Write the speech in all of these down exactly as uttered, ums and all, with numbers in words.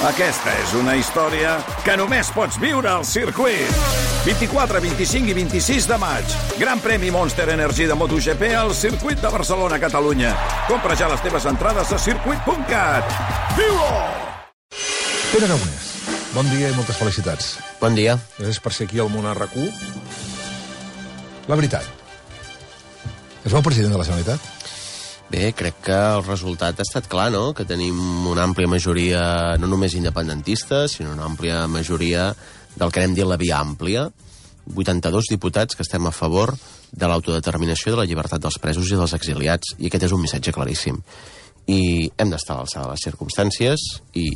Aquesta és una història que només pots viure al circuit. vint-i-quatre, vint-i-cinc i vint-i-sis de maig. Gran premi Monster Energy de MotoGP al circuit de Barcelona, Catalunya. Compra ja les teves entrades a circuit punt cat. Viu-ho! Pere Aragonès, bon dia i moltes felicitats. Bon dia. Gràcies per ser aquí al Món a RAC u. La veritat, és el president de la Generalitat? Bé, crec que el resultat ha estat clar, no? Que tenim una àmplia majoria, no només independentista, sinó una àmplia majoria del que anem dir la via àmplia. vuitanta-dos diputats que estem a favor de l'autodeterminació, de la llibertat dels presos i dels exiliats. I aquest és un missatge claríssim. I hem d'estar a l'alçada de les circumstàncies i,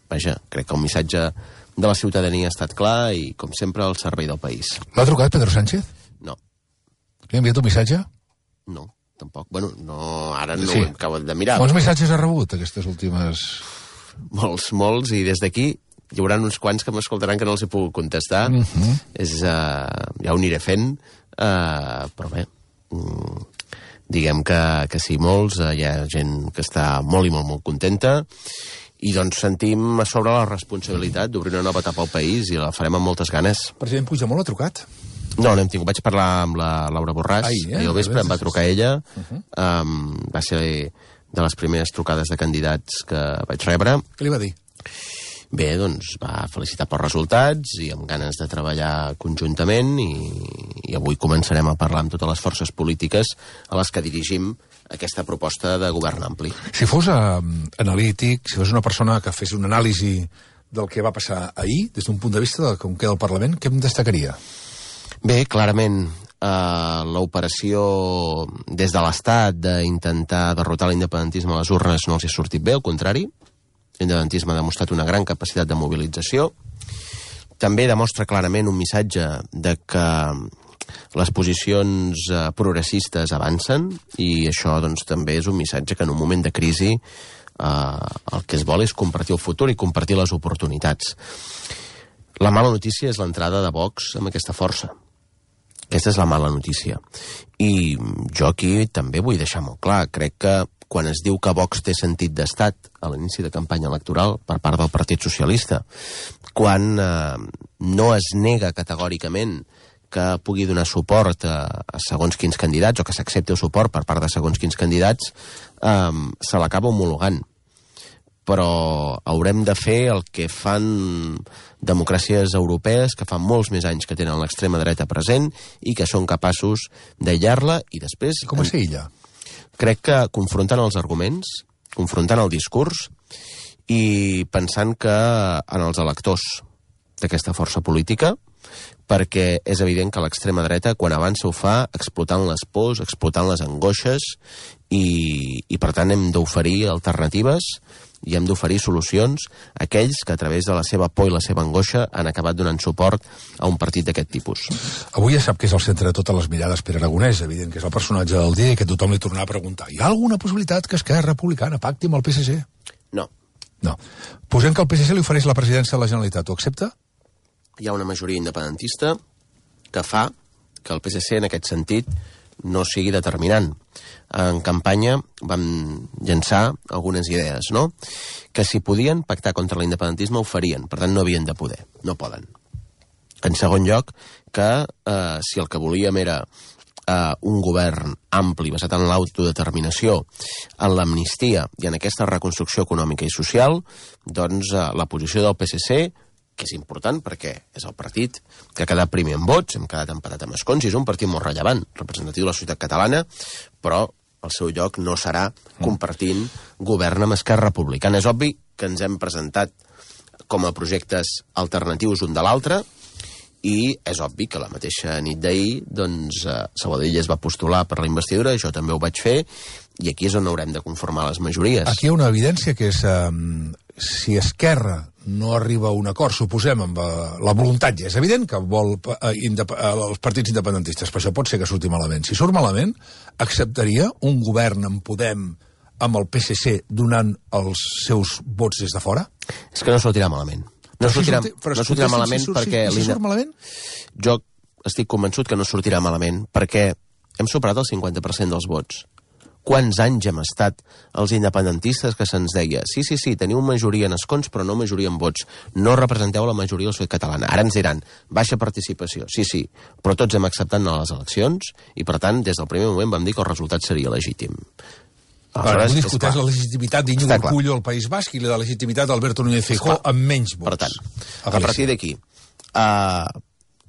vaja, crec que el missatge de la ciutadania ha estat clar i, com sempre, al servei del país. L'ha trucat Pedro Sánchez? No. Li ha enviat un missatge? No. Tampoc. Bueno, no, ara no sí. ho acabo de mirar. Quants missatges ha rebut aquestes últimes... Molts, molts, i des d'aquí hi haurà uns quants que m'escoltaran que no els he pogut contestar. Uh -huh. És, uh, ja ho aniré fent, uh, però bé, um, diguem que, que sí, molts, uh, hi ha gent que està molt i molt, molt contenta, i doncs sentim a sobre la responsabilitat d'obrir una nova etapa al país i la farem amb moltes ganes. El president Puigdemont l'ha trucat? No, no hem tingut. Vaig parlar amb la Laura Borràs. Ahir, eh? Ahir al vespre em va trucar ella. Uh -huh. um, va ser de les primeres trucades de candidats que vaig rebre. Què li va dir? Bé, doncs va felicitar pels resultats i amb ganes de treballar conjuntament i, i avui començarem a parlar amb totes les forces polítiques a les que dirigim aquesta proposta de govern ampli. Si fos uh, analític, si fos una persona que fes una anàlisi del que va passar ahir, des d'un punt de vista de com queda el Parlament, què em destacaria? Bé, clarament, eh, l'operació des de l'Estat d'intentar derrotar l'independentisme a les urnes no els ha sortit bé, al contrari. L'independentisme ha demostrat una gran capacitat de mobilització. També demostra clarament un missatge de que les posicions eh, progressistes avancen i això doncs, també és un missatge que en un moment de crisi eh, el que es vol és compartir el futur i compartir les oportunitats. La mala notícia és l'entrada de Vox amb aquesta força. Aquesta és la mala notícia. I jo aquí també vull deixar molt clar. Crec que quan es diu que Vox té sentit d'estat a l'inici de campanya electoral per part del Partit Socialista, quan eh, no es nega categòricament que pugui donar suport a, a segons quins candidats o que s'accepti el suport per part de segons quins candidats, eh, se l'acaba homologant. Però haurem de fer el que fan democràcies europees que fa molts més anys que tenen l'extrema dreta present i que són capaços d'aïllar-la i després... I com es aïlla? Crec que confrontant els arguments, confrontant el discurs i pensant que en els electors d'aquesta força política, perquè és evident que l'extrema dreta quan avança ho fa explotant les pors, explotant les angoixes i, i per tant hem d'oferir alternatives i hem d'oferir solucions a aquells que a través de la seva por i la seva angoixa han acabat donant suport a un partit d'aquest tipus. Avui ja sap que és el centre de totes les mirades Pere Aragonès, evident que és el personatge del dia i que tothom li tornarà a preguntar. Hi ha alguna possibilitat que Esquerra Republicana pacti amb el P S C? No. No. Posem que el P S C li ofereix la presidència de la Generalitat. Ho accepta? Hi ha una majoria independentista que fa que el P S C en aquest sentit no sigui determinant. En campanya vam llançar algunes idees, no? Que si podien pactar contra l'independentisme ho farien, per tant no havien de poder, no poden. En segon lloc, que eh, si el que volíem era eh, un govern ampli basat en l'autodeterminació, en l'amnistia i en aquesta reconstrucció econòmica i social, doncs eh, la posició del P S C, que és important perquè és el partit que ha quedat primer en vots, hem quedat empatat amb escons i és un partit molt rellevant, representatiu de la societat catalana, però el seu lloc no serà compartint govern amb Esquerra Republicana. És obvi que ens hem presentat com a projectes alternatius un de l'altre i és obvi que la mateixa nit d'ahir doncs, eh, Sabadell es va postular per la investidura, jo també ho vaig fer i aquí és on haurem de conformar les majories. Aquí hi ha una evidència que és eh, si Esquerra no arriba a un acord, suposem, amb uh, la voluntat, ja és evident que vol uh, indep uh, els partits independentistes, però això pot ser que surti malament. Si surt malament, acceptaria un govern amb Podem amb el P S C donant els seus vots des de fora? És que no sortirà malament. No sortirà, si sorti, no sortirà si, malament si, si, perquè... Si, si surt malament? Jo estic convençut que no sortirà malament perquè hem superat el cinquanta per cent dels vots. Quants anys hem estat els independentistes que se'ns deia sí, sí, sí, teniu majoria en escons però no majoria en vots, no representeu la majoria de la societat catalana. Ara ens diran, baixa participació, sí, sí, però tots hem acceptat anar a les eleccions i per tant des del primer moment vam dir que el resultat seria legítim. Aleshores, no discuteix la legitimitat d'Iñigo Urkullu al País Basc i la legitimitat d'Alberto Núñez Feijóo amb menys vots. Per tant, a, a partir d'aquí, uh,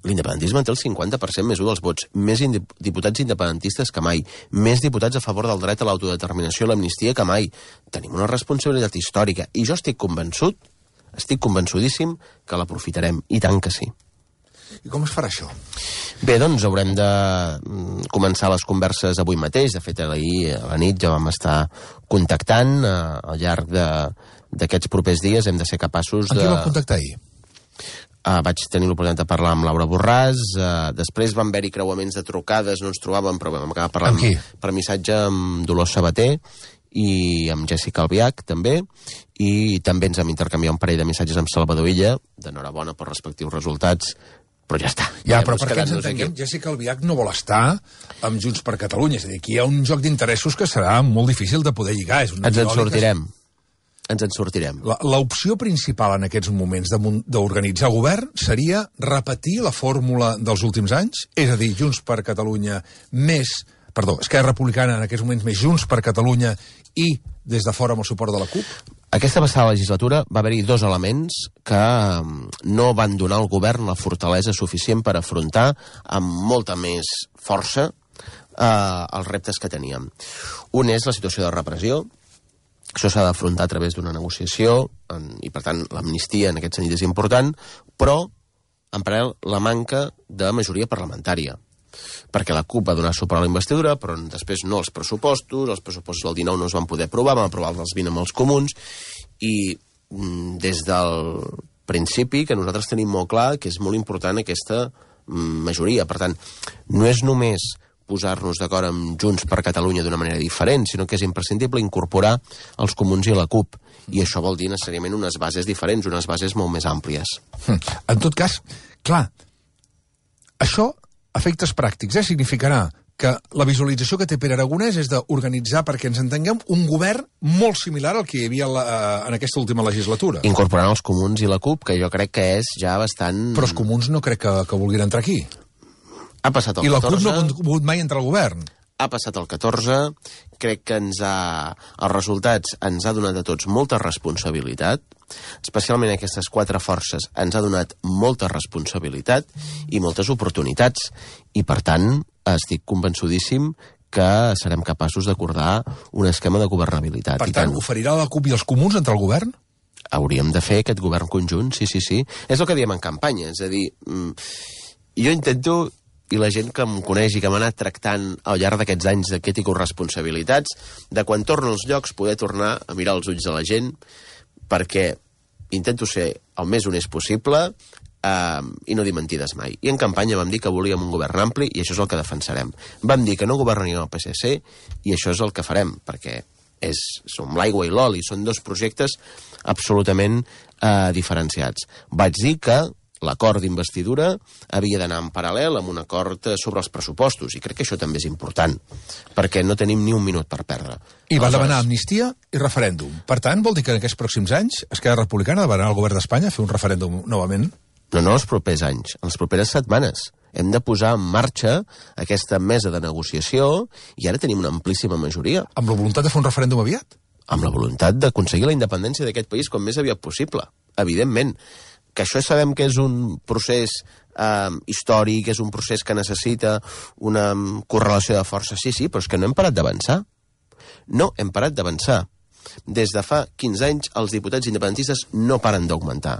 l'independentisme té el cinquanta per cent més un dels vots, més diputats independentistes que mai, més diputats a favor del dret a l'autodeterminació i l'amnistia que mai. Tenim una responsabilitat històrica i jo estic convençut, estic convençudíssim que l'aprofitarem, i tant que sí. I com es farà això? Bé, doncs haurem de començar les converses avui mateix. De fet, ahir a la nit ja vam estar contactant. Eh, al llarg d'aquests propers dies hem de ser capaços de... Amb qui vam contactar ahir? Uh, vaig tenir l'oportunitat de parlar amb Laura Borràs, uh, després van haver-hi creuaments de trucades, no ens trobàvem, però vam acabar parlant per missatge amb Dolors Sabater i amb Jessica Albiach, també, i també ens vam intercanviar un parell de missatges amb Salvador Illa, d'enhorabona per respectius resultats, però ja està. Ja, però perquè ens entenguem, Jessica Albiach no vol estar amb Junts per Catalunya, és a dir, aquí hi ha un joc d'interessos que serà molt difícil de poder lligar. És ens en sortirem. Ens en sortirem. L'opció principal en aquests moments d'organitzar govern seria repetir la fórmula dels últims anys, és a dir, Junts per Catalunya més, perdó, Esquerra Republicana en aquests moments més Junts per Catalunya i des de fora amb el suport de la CUP? Aquesta passada legislatura va haver-hi dos elements que no van donar al govern la fortalesa suficient per afrontar amb molta més força eh, els reptes que teníem. Un és la situació de repressió. Això s'ha d'afrontar a través d'una negociació en, i, per tant, l'amnistia en aquest sentit és important, però, en paral·lel, la manca de majoria parlamentària. Perquè la CUP va donar suport a la investidura, però després no els pressupostos, els pressupostos del dinou no es van poder aprovar, van aprovar els vint amb els comuns, i mm, des del principi que nosaltres tenim molt clar que és molt important aquesta mm, majoria. Per tant, no és només posar-nos d'acord amb Junts per Catalunya d'una manera diferent, sinó que és imprescindible incorporar els comuns i la CUP. I això vol dir necessàriament unes bases diferents, unes bases molt més àmplies. En tot cas, clar, això, efectes pràctics, eh, significarà que la visualització que té Pere Aragonès és d'organitzar, perquè ens entenguem, un govern molt similar al que hi havia la, en aquesta última legislatura. Incorporant els comuns i la CUP, que jo crec que és ja bastant... Però els comuns no crec que, que vulguin entrar aquí. Ha passat el I la catorze... CUP no ha volgut mai entrar al govern. Ha passat el catorze, crec que ens ha... els resultats ens ha donat a tots molta responsabilitat, especialment aquestes quatre forces ens ha donat molta responsabilitat i moltes oportunitats, i per tant estic convençudíssim que serem capaços d'acordar un esquema de governabilitat. Per tant, tant, oferirà la CUP i els comuns entrar al govern? Hauríem de fer aquest govern conjunt, sí, sí, sí. És el que diem en campanya, és a dir, jo intento... i la gent que em coneix i que m'ha anat tractant al llarg d'aquests anys de crítica o responsabilitats, de quan torno als llocs poder tornar a mirar els ulls de la gent, perquè intento ser el més honest possible eh, i no dir mentides mai. I en campanya vam dir que volíem un govern ampli i això és el que defensarem. Vam dir que no governaríem el P S C i això és el que farem, perquè és, som l'aigua i l'oli, són dos projectes absolutament eh, diferenciats. Vaig dir que l'acord d'investidura havia d'anar en paral·lel amb un acord sobre els pressupostos, i crec que això també és important, perquè no tenim ni un minut per perdre. I va demanar amnistia i referèndum. Per tant, vol dir que en aquests pròxims anys Esquerra Republicana demanarà al govern d'Espanya fer un referèndum novament? No, no, els propers anys, en les properes setmanes. Hem de posar en marxa aquesta mesa de negociació i ara tenim una amplíssima majoria. Amb la voluntat de fer un referèndum aviat? Amb la voluntat d'aconseguir la independència d'aquest país com més aviat possible, evidentment. Que això sabem que és un procés eh, històric, és un procés que necessita una correlació de forces, sí, sí, però és que no hem parat d'avançar. No hem parat d'avançar. Des de fa quinze anys els diputats independentistes no paren d'augmentar.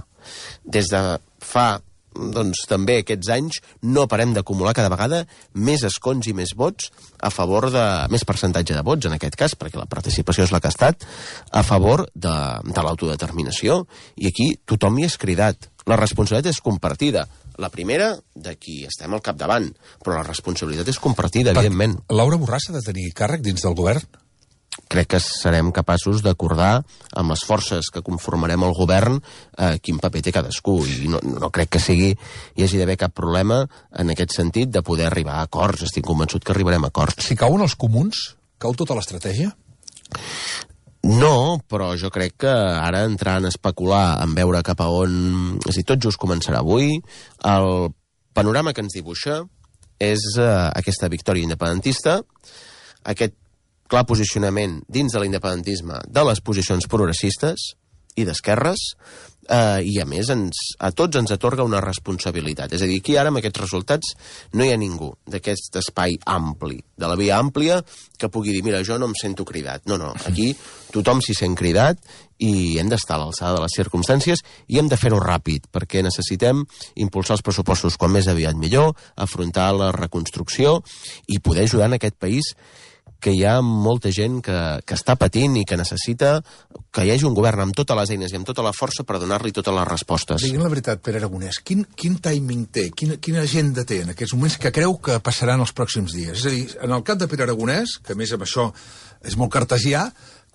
Des de fa, doncs, també aquests anys no parem d'acumular cada vegada més escons i més vots a favor de... més percentatge de vots, en aquest cas, perquè la participació és la que ha estat, a favor de, de l'autodeterminació. I aquí tothom hi és cridat. La responsabilitat és compartida. La primera, de qui estem al capdavant, però la responsabilitat és compartida, per, evidentment. Laura Borràs ha de tenir càrrec dins del govern? Crec que serem capaços d'acordar amb les forces que conformarem el govern eh, quin paper té cadascú, i no, no crec que sigui hi hagi d'haver cap problema en aquest sentit de poder arribar a acords. Estic convençut que arribarem a acords. Si cauen els comuns, Cau tota l'estratègia? No, però jo crec que ara entrant a especular en veure cap a on... És a dir, tot just començarà avui. El panorama que ens dibuixa és uh, aquesta victòria independentista, aquest clar posicionament dins de l'independentisme de les posicions progressistes i d'esquerres, eh, i a més ens, a tots ens atorga una responsabilitat. És a dir, aquí ara amb aquests resultats no hi ha ningú d'aquest espai ampli, de la via àmplia, que pugui dir, mira, jo no em sento cridat. No, no, aquí tothom s'hi sent cridat i hem d'estar a l'alçada de les circumstàncies i hem de fer-ho ràpid, perquè necessitem impulsar els pressupostos quan més aviat millor, afrontar la reconstrucció i poder ajudar en aquest país que hi ha molta gent que, que està patint i que necessita que hi hagi un govern amb totes les eines i amb tota la força per donar-li totes les respostes. Digue'm la veritat, Pere Aragonès, quin, quin timing té, quina, quina agenda té en aquests moments que creu que passaran els pròxims dies? És a dir, en el cas de Pere Aragonès, que a més amb això és molt cartesià,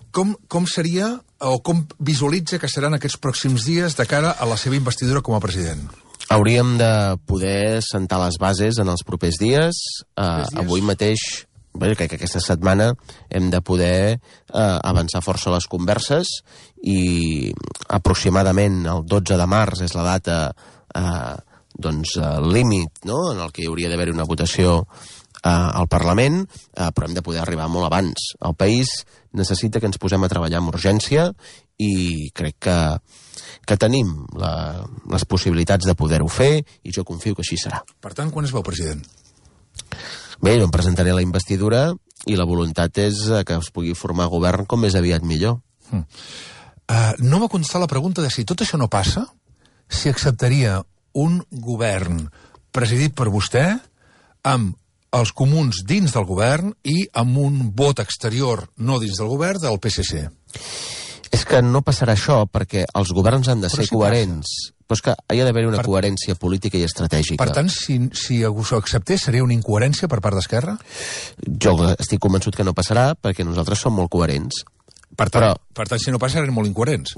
com, com seria o com visualitza que seran aquests pròxims dies de cara a la seva investidura com a president? Hauríem de poder sentar les bases en els propers dies. Uh, avui mateix... Bé, crec que aquesta setmana hem de poder eh, avançar força les converses i aproximadament el dotze de març és la data eh, doncs, eh, límit, no?, en el que hi hauria d'haver una votació eh, al Parlament, eh, però hem de poder arribar molt abans. El país necessita que ens posem a treballar amb urgència i crec que, que tenim la, les possibilitats de poder-ho fer i jo confio que així serà. Per tant, quan es veu president? Bé, jo em presentaré la investidura i la voluntat és que es pugui formar govern com més aviat millor. Mm. Uh, no m'ha contestat la pregunta de si tot això no passa, si acceptaria un govern presidit per vostè amb els comuns dins del govern i amb un vot exterior no dins del govern del P S C. És que no passarà això perquè els governs han de Però ser sí coherents. Passa. Però és que hi ha d'haver una Per... coherència política i estratègica. Per tant, si, si ho acceptés, seria una incoherència per part d'Esquerra? Jo estic convençut que no passarà perquè nosaltres som molt coherents. Per tant, Però... per tant si no passa, serem molt incoherents.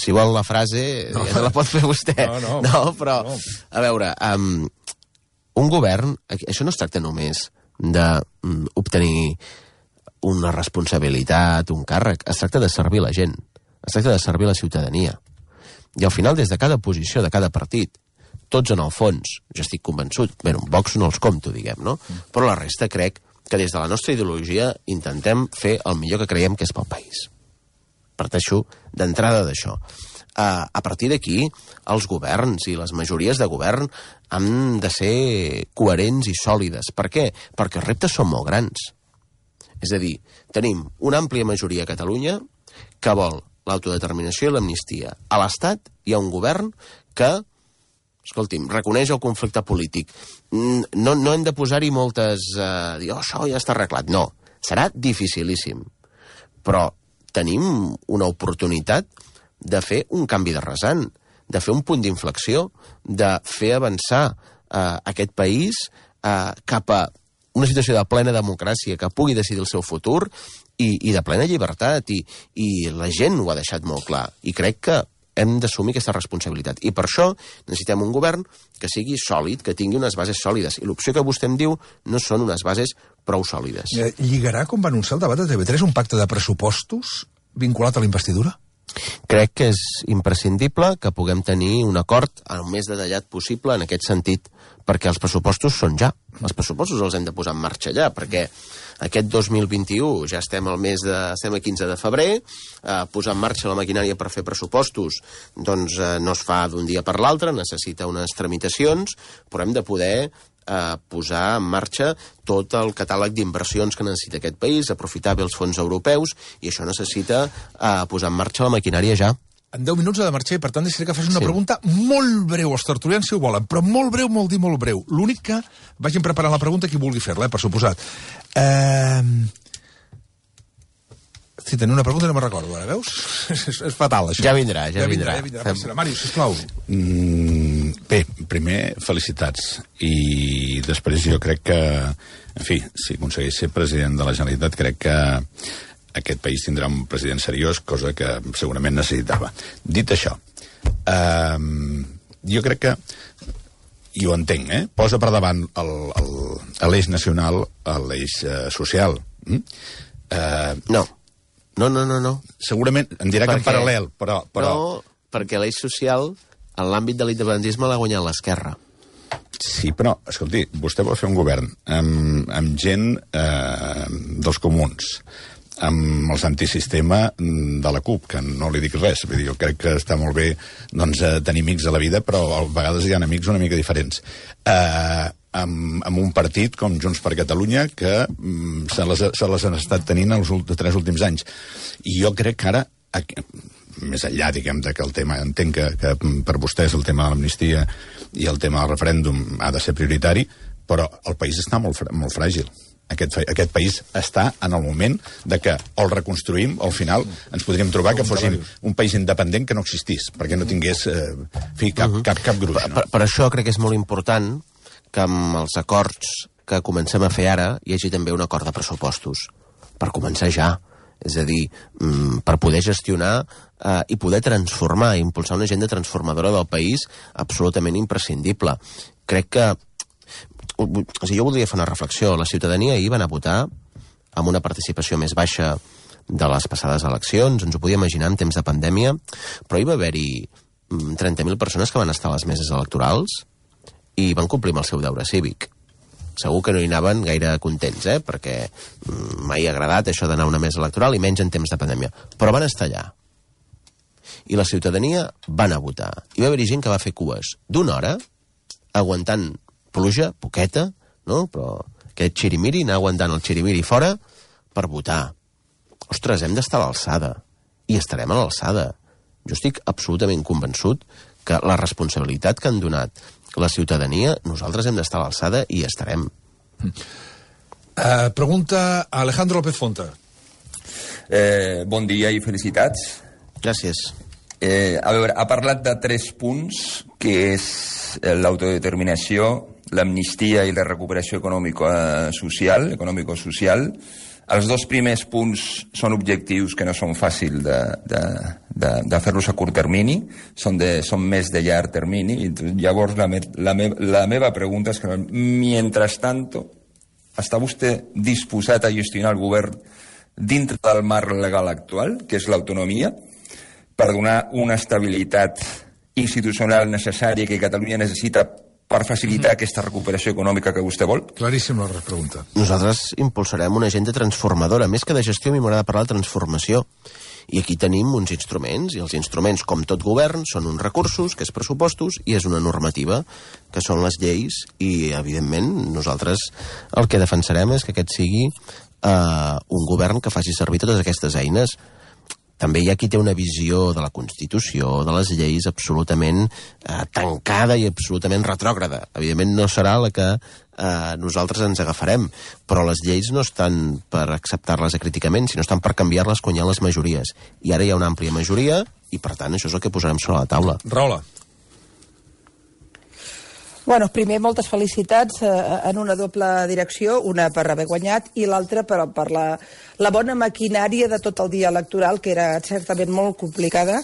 Si vol la frase, no, ja no la pot fer vostè. No, no, no però, no. A veure, um, un govern, això no es tracta només d'obtenir una responsabilitat, un càrrec, es tracta de servir la gent, es tracta de servir la ciutadania. I al final, des de cada posició, de cada partit, tots en el fons, jo estic convençut, bé, un Vox no els compto, diguem, no? Però la resta crec que des de la nostra ideologia intentem fer el millor que creiem que és pel país. Parteixo d'entrada d'això. Uh, a partir d'aquí, els governs i les majories de govern han de ser coherents i sòlides. Per què? Perquè els reptes són molt grans. És a dir, tenim una àmplia majoria a Catalunya que vol l'autodeterminació i l'amnistia. A l'Estat hi ha un govern que, escolti'm, reconeix el conflicte polític. No, no hem de posar-hi moltes... Uh, dir, oh, això ja està arreglat. No, serà dificilíssim. Però tenim una oportunitat de fer un canvi de rasant, de fer un punt d'inflexió, de fer avançar uh, aquest país uh, cap a una situació de plena democràcia que pugui decidir el seu futur i, i de plena llibertat, i, i la gent ho ha deixat molt clar, i crec que hem d'assumir aquesta responsabilitat. I per això necessitem un govern que sigui sòlid, que tingui unes bases sòlides, i l'opció que vostè em diu no són unes bases prou sòlides. Lligarà, com va anunciar el debat de T V tres, un pacte de pressupostos vinculat a la investidura? Crec que és imprescindible que puguem tenir un acord el més detallat possible en aquest sentit, perquè els pressupostos són ja. Els pressupostos els hem de posar en marxa ja, perquè aquest dos mil vint-i-u ja estem al mes de, estem a quinze de febrer, eh, posar en marxa la maquinària per fer pressupostos doncs eh, no es fa d'un dia per l'altre, necessita unes tramitacions, però hem de poder eh, posar en marxa tot el catàleg d'inversions que necessita aquest país, aprofitar bé els fons europeus, i això necessita eh, posar en marxa la maquinària ja. En deu minuts ha de marxar i, per tant, deixaré que faci una Sí. pregunta molt breu. Els tertulians, si ho volen, però molt breu, molt dir molt breu. L'únic que vagin preparant la pregunta qui vulgui fer-la, eh, per suposat. Eh... Si tenia una pregunta no me'n recordo, ara, veus? és, és fatal, això. Ja vindrà, ja, ja vindrà. Ja vindrà, Fem... Màrius, sisplau. Mm, bé, primer, felicitats. I després jo crec que, en fi, si aconsegueix ser president de la Generalitat, crec que aquest país tindrà un president seriós, cosa que segurament necessitava. Dit això, eh, jo crec que i ho entenc, eh? Posa per davant l'eix nacional a l'eix uh, social. Mm? Uh, no. No, no, no, no. Segurament, em dirà perquè... que en paral·lel, però... però... No, perquè l'eix social, en l'àmbit de l'independentisme, l'ha guanyat l'esquerra. Sí, però, escolti, vostè vol fer un govern amb, amb gent eh, dels comuns, amb els antisistema de la CUP, que no li dic res. Vull dir, jo crec que està molt bé doncs, tenir amics a la vida, però a vegades hi ha amics una mica diferents. Eh, amb, amb un partit com Junts per Catalunya que mm, se, les, se les han estat tenint els ult- tres últims anys. I jo crec que ara... més enllà, diguem, que el tema, entenc que, que per vostès el tema de l'amnistia i el tema del referèndum ha de ser prioritari, però el país està molt, molt fràgil. Aquest, aquest país està en el moment de que o el reconstruïm o al final ens podríem trobar que fóssim un país independent que no existís, perquè no tingués eh, fi, cap, cap, cap gruix. No? Per, per això crec que és molt important que amb els acords que comencem a fer ara hi hagi també un acord de pressupostos, per començar ja. És a dir, per poder gestionar eh, i poder transformar, impulsar una agenda transformadora del país absolutament imprescindible. Crec que... O sigui, jo voldria fer una reflexió. La ciutadania ahir va anar a votar amb una participació més baixa de les passades eleccions, ens ho podia imaginar en temps de pandèmia, però hi va haver-hi trenta mil persones que van estar a les meses electorals i van complir amb el seu deure cívic. Segur que no hi anaven gaire contents, eh? Perquè mai ha agradat això d'anar a una mesa electoral i menys en temps de pandèmia. Però van estar allà. I la ciutadania va anar a votar. I va haver-hi gent que va fer cues d'una hora, aguantant pluja, poqueta, no? Però aquest xirimiri, anar aguantant el xirimiri fora per votar. Ostres, hem d'estar a l'alçada. I estarem a l'alçada. Jo estic absolutament convençut que la responsabilitat que han donat la ciutadania, nosaltres hem d'estar a l'alçada i estarem. Uh, pregunta a Alejandro López Fonta. Eh, bon dia i felicitats. Gràcies. Eh, a veure, ha parlat de tres punts, que és l'autodeterminació, l'amnistia i la recuperació econòmico-social, econòmico-social. Els dos primers punts són objectius que no són fàcils de, de, de, de fer-los a curt termini, són, de, són més de llarg termini. I llavors la, me, la, me, la meva pregunta és que, mientras tanto, està vostè disposat a gestionar el govern dintre del marc legal actual, que és l'autonomia, per donar una estabilitat institucional necessària que Catalunya necessita per facilitar mm. aquesta recuperació econòmica que vostè vol? Claríssim la pregunta. Nosaltres impulsarem una agenda transformadora. Més que de gestió, a mi m'agrada parlar de transformació. I aquí tenim uns instruments, i els instruments, com tot govern, són uns recursos, que és pressupostos, i és una normativa, que són les lleis, i, evidentment, nosaltres el que defensarem és que aquest sigui eh, un govern que faci servir totes aquestes eines. També hi ha qui té una visió de la Constitució, de les lleis, absolutament eh, tancada i absolutament retrògrada. Evidentment no serà la que eh, nosaltres ens agafarem, però les lleis no estan per acceptar-les acríticament, sinó estan per canviar-les quan hi ha les majories. I ara hi ha una àmplia majoria i, per tant, això és el que posarem sobre la taula. Rahola. Bueno, primer, moltes felicitats eh, en una doble direcció, una per haver guanyat i l'altra per, per la, la bona maquinària de tot el dia electoral, que era certament molt complicada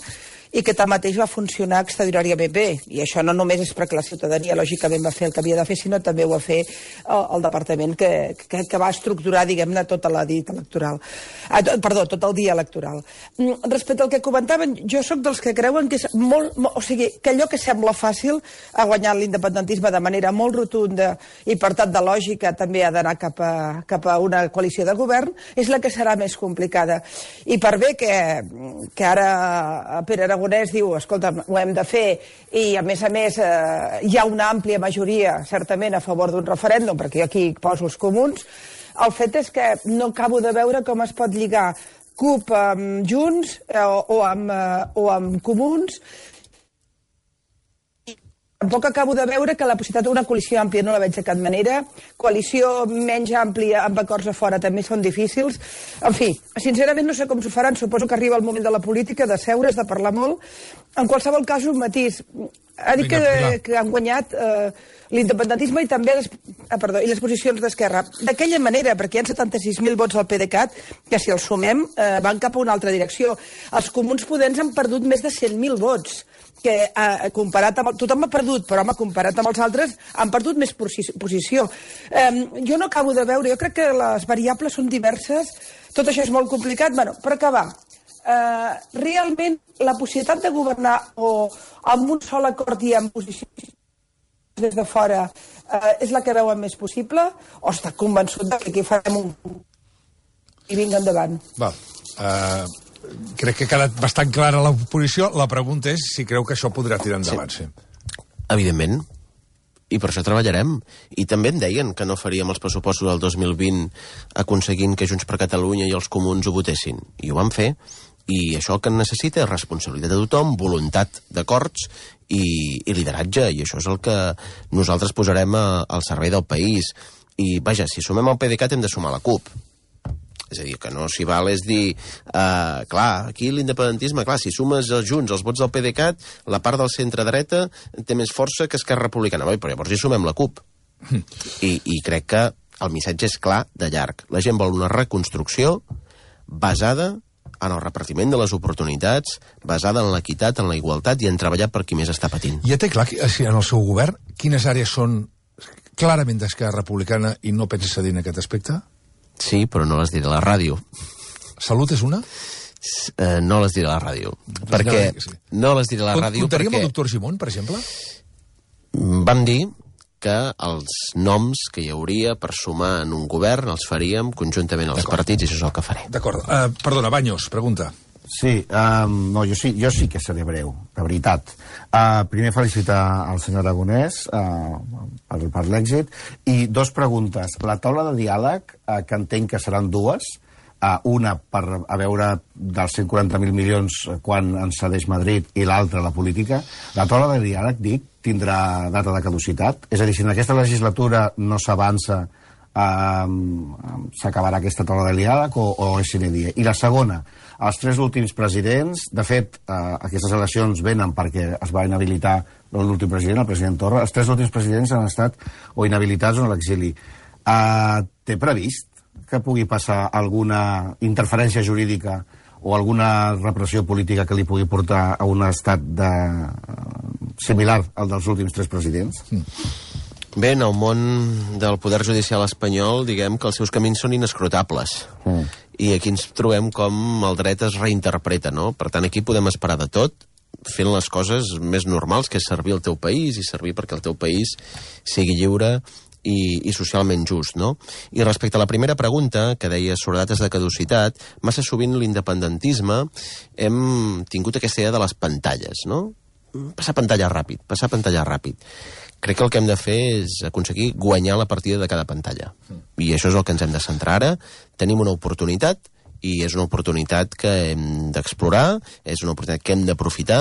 i que tanmateix va funcionar extraordinàriament bé. I això no només és perquè la ciutadania lògicament va fer el que havia de fer, sinó també ho va fer el, el departament que, que, que va estructurar, diguem-ne, tota la dita electoral. Ah, perdó, tot el dia electoral. Respecte al que comentaven, jo sóc dels que creuen que és molt, molt... O sigui, que allò que sembla fàcil ha guanyat l'independentisme de manera molt rotunda i, per tant, de lògica també ha d'anar cap, a, cap a una coalició de govern, és la que serà més complicada. I per bé que, que ara Pere Aragonès diu, escolta, ho hem de fer, i a més a més eh, hi ha una àmplia majoria certament a favor d'un referèndum, perquè jo aquí poso els comuns, el fet és que no acabo de veure com es pot lligar CUP amb Junts eh, o, amb, eh, o amb Comuns. Tampoc acabo de veure que la possibilitat d'una coalició àmplia no la veig de cap manera. Coalició menys àmplia amb acords a fora també són difícils. En fi, sincerament no sé com s'ho faran. Suposo que arriba el moment de la política, de seure's, de parlar molt. En qualsevol cas, un matís. Ha dit que, que han guanyat eh, l'independentisme i també les, ah, perdó, i les posicions d'Esquerra. D'aquella manera, perquè hi ha setanta-sis mil vots al PDeCAT, que si els sumem eh, van cap a una altra direcció. Els comuns podents han perdut més de cent mil vots, que eh, comparat amb... Tothom ha perdut, però home, comparat amb els altres, han perdut més posició. Eh, jo no acabo de veure, jo crec que les variables són diverses, tot això és molt complicat. Bueno, per acabar, eh, realment la possibilitat de governar o amb un sol acord i amb posicions des de fora eh, és la que veuen més possible, o està convençut de que aquí farem un... i vinga endavant? Va, eh... crec que ha quedat bastant clara la posició. La pregunta és si creu que això podrà tirar endavant. Sí. Sí. Evidentment. I per això treballarem. I també em deien que no faríem els pressupostos del dos mil vint aconseguint que Junts per Catalunya i els comuns ho votessin. I ho vam fer. I això el que necessita és responsabilitat de tothom, voluntat d'acords i, i lideratge. I això és el que nosaltres posarem a, al servei del país. I, vaja, si sumem el PDeCAT hem de sumar la CUP. És a dir, que no s'hi val és dir, uh, clar, aquí l'independentisme, clar, si sumes els Junts, els vots del PDeCAT, la part del centre-dreta té més força que Esquerra Republicana. Bé, però llavors hi sumem la CUP. I, I crec que el missatge és clar de llarg. La gent vol una reconstrucció basada en el repartiment de les oportunitats, basada en l'equitat, en la igualtat i en treballar per qui més està patint. Ja té clar, en el seu govern, quines àrees són clarament d'Esquerra Republicana i no pensa cedir en aquest aspecte? Sí, però no les diré a la ràdio. Salut és una? Uh, no les diré a la ràdio. Pues perquè no, sí. no les diré a la ràdio Comptaríem perquè... el doctor Gimón, per exemple? Vam dir que els noms que hi hauria per sumar en un govern els faríem conjuntament als partits i això és el que faré. D'acord. Uh, perdona, Baños, pregunta. Sí, um, no, jo sí, jo sí que seré breu, de veritat. Uh, primer felicitar al senyor Aragonès uh, per, per l'èxit. I dos preguntes. La taula de diàleg, uh, que entenc que seran dues, uh, una per a veure dels cent quaranta mil milions quan ens cedeix Madrid i l'altra la política. La taula de diàleg, dic, tindrà data de caducitat? És a dir, si en aquesta legislatura no s'avança, uh, s'acabarà aquesta taula de diàleg o, o és sine die? I la segona, els tres últims presidents, de fet, eh, aquestes eleccions venen perquè es va inhabilitar l'últim president, el president Torra, els tres últims presidents han estat o inhabilitats o a l'exili. Eh, té previst que pugui passar alguna interferència jurídica o alguna repressió política que li pugui portar a un estat de, similar al dels últims tres presidents? Mm. Bé, en el món del poder judicial espanyol, diguem que els seus camins són inescrutables. Mm. I aquí ens trobem com el dret es reinterpreta, no? Per tant, aquí podem esperar de tot, fent les coses més normals, que és servir al teu país i servir perquè el teu país sigui lliure i, i socialment just, no? I respecte a la primera pregunta, que deia sobre dates de caducitat, massa sovint l'independentisme hem tingut aquesta idea de les pantalles, no? Passar pantalla ràpid, passar pantalla ràpid. Crec que el que hem de fer és aconseguir guanyar la partida de cada pantalla. I això és el que ens hem de centrar ara. Tenim una oportunitat, i és una oportunitat que hem d'explorar, és una oportunitat que hem d'aprofitar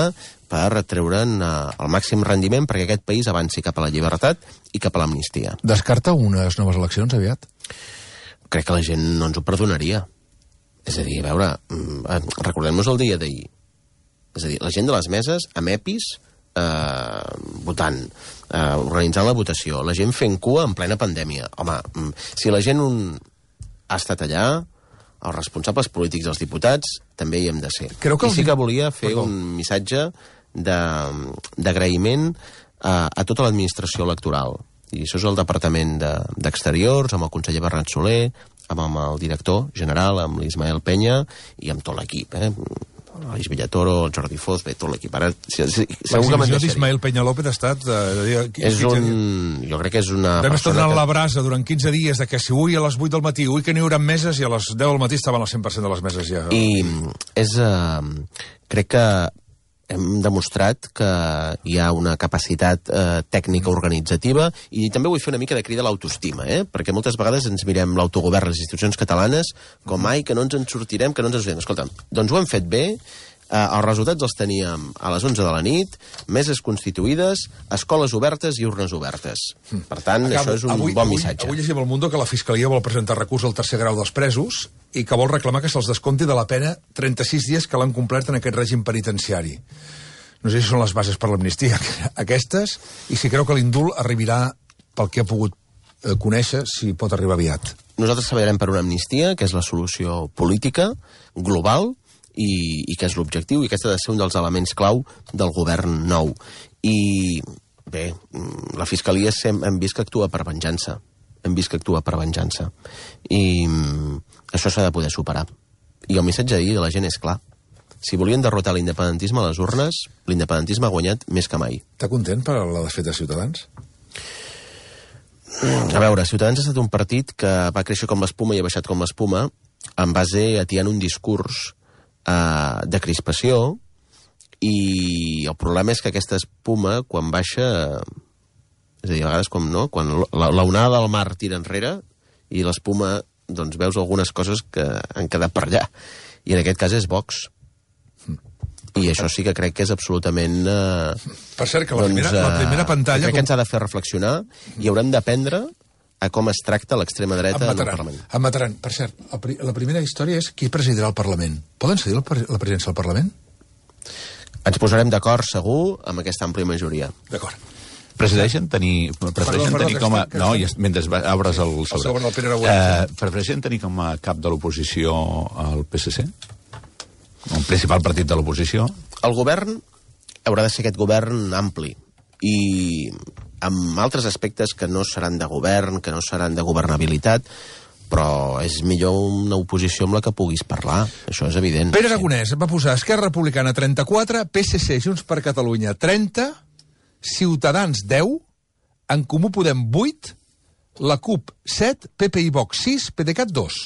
per treure'n el màxim rendiment perquè aquest país avanci cap a la llibertat i cap a l'amnistia. Descarta unes noves eleccions aviat? Crec que la gent no ens ho perdonaria. És a dir, a veure, recordem-nos el dia d'ahir. És a dir, la gent de les meses, amb EPIs, eh, votant, eh, organitzant la votació, la gent fent cua en plena pandèmia. Home, si la gent un... ha estat allà, els responsables polítics dels diputats també hi hem de ser. Creu que I sí que volia fer Perdó. un missatge d'agraïment a, a tota l'administració electoral. I això és el Departament d'Exteriors, de, amb el conseller Bernat Soler, amb, amb el director general, amb l'Ismael Penya i amb tot l'equip, eh? l'Aleix Villatoro, el Jordi Foz, bé, tot l'equip. Ara, si, si, l'exhibició d'Ismael Peña López ha estat... Eh, és un... Jo crec que és una Vam estar donant que... la brasa durant quinze dies de que si ui a les vuit del matí, ui que n'hi haurà meses, i a les deu del matí estaven al cent per cent de les meses ja. I és... Eh, crec que hem demostrat que hi ha una capacitat eh, tècnica organitzativa i també vull fer una mica de crida a l'autoestima, eh? Perquè moltes vegades ens mirem l'autogovern, les institucions catalanes, com ai, que no ens en sortirem, que no ens en sortirem. Escolta'm, doncs ho hem fet bé, eh, els resultats els teníem a les onze de la nit, meses constituïdes, escoles obertes i urnes obertes. Per tant, Acabo, això és un avui, bon avui, missatge. Avui llegim al Mundo que la Fiscalia vol presentar recurs al tercer grau dels presos i que vol reclamar que se'ls descompti de la pena trenta-sis dies que l'han complert en aquest règim penitenciari. No sé si són les bases per l'amnistia aquestes i si creu que l'indult arribarà pel que ha pogut eh, conèixer, si pot arribar aviat. Nosaltres treballarem per una amnistia, que és la solució política, global, i, i que és l'objectiu, i aquest ha de ser un dels elements clau del govern nou. I, bé, la Fiscalia sem- hem vist que actua per venjança. Hem vist que actua per venjança. I mm, això s'ha de poder superar. I el missatge d'ahir de la gent és clar. Si volien derrotar l'independentisme a les urnes, l'independentisme ha guanyat més que mai. Està content per la desfeta de Ciutadans? A veure, Ciutadans ha estat un partit que va créixer com l'espuma i ha baixat com l'espuma en base a atiant un discurs eh, de crispació, i el problema és que aquesta espuma, quan baixa, és a dir, a vegades com no, quan l'onada del mar tira enrere i l'espuma, doncs veus algunes coses que han quedat per allà. I en aquest cas és Vox. I això sí que crec que és absolutament... Eh, per cert, que la, doncs, primera, la primera pantalla... Crec com... que ens ha de fer reflexionar i haurem d'aprendre a com es tracta l'extrema dreta en el Parlament. Em mataran. Per cert, la primera història és qui presidirà el Parlament. Poden cedir la presidència del Parlament? Ens posarem d'acord, segur, amb aquesta àmplia majoria. D'acord. Prefereixen tenir, prefereixen perdó, tenir perdó, com a... que No, estem... i mentre obres el sobre. El segon, el Pere Aragonès. Eh, prefereixen tenir com a cap de l'oposició el P S C? Un principal partit de l'oposició? El govern haurà de ser aquest govern ampli i amb altres aspectes que no seran de govern, que no seran de governabilitat, però és millor una oposició amb la que puguis parlar, això és evident. Pere Aragonès va posar Esquerra Republicana trenta-quatre, P S C, Junts per Catalunya trenta, Ciutadans deu, En Comú Podem vuit, la CUP set, P P i Vox sis, PDeCAT dos.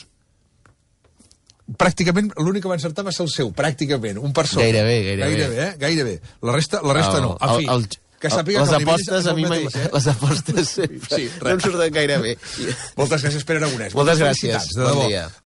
Pràcticament l'únic que va encertar va ser el seu, pràcticament, un per sota. Gairebé, gairebé. Gairebé, eh? Gairebé. La resta, la resta el, no. En fi, el, el, que sàpiga les que el apostes nivell és a mi mai, eh? les apostes sempre Sí, no em surten gaire bé. Moltes gràcies, Pere Aragonès. Moltes gràcies, felicitats, de bon debò. dia.